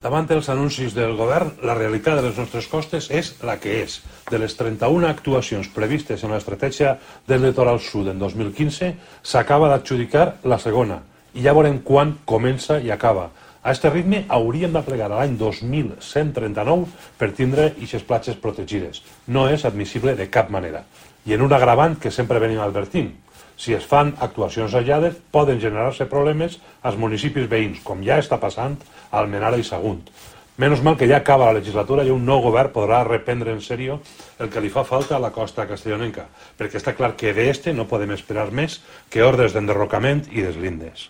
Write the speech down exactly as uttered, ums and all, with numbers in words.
Davant dels anuncis del govern, la realitat de les nostres costes és la que és. De les trenta-una actuacions previstes en l'estratègia del litoral sud en dos mil quinze, s'acaba d'adjudicar la segona, i ja veurem quan comença i acaba. A aquest ritme hauríem de plegar a l'any dos mil cent trenta-nou per tindre aquestes platges protegides. No és admissible de cap manera. I en un agravant que sempre venim advertint. Si es fan actuacions aïllades, poden generar-se problemes als municipis veïns, com ja està passant a Almenara i Sagunt. Menys mal que ja acaba la legislatura i un nou govern podrà reprendre en sèrio el que li fa falta a la costa castellonenca, perquè està clar que d'este no podem esperar més que ordres d'enderrocament i deslindes.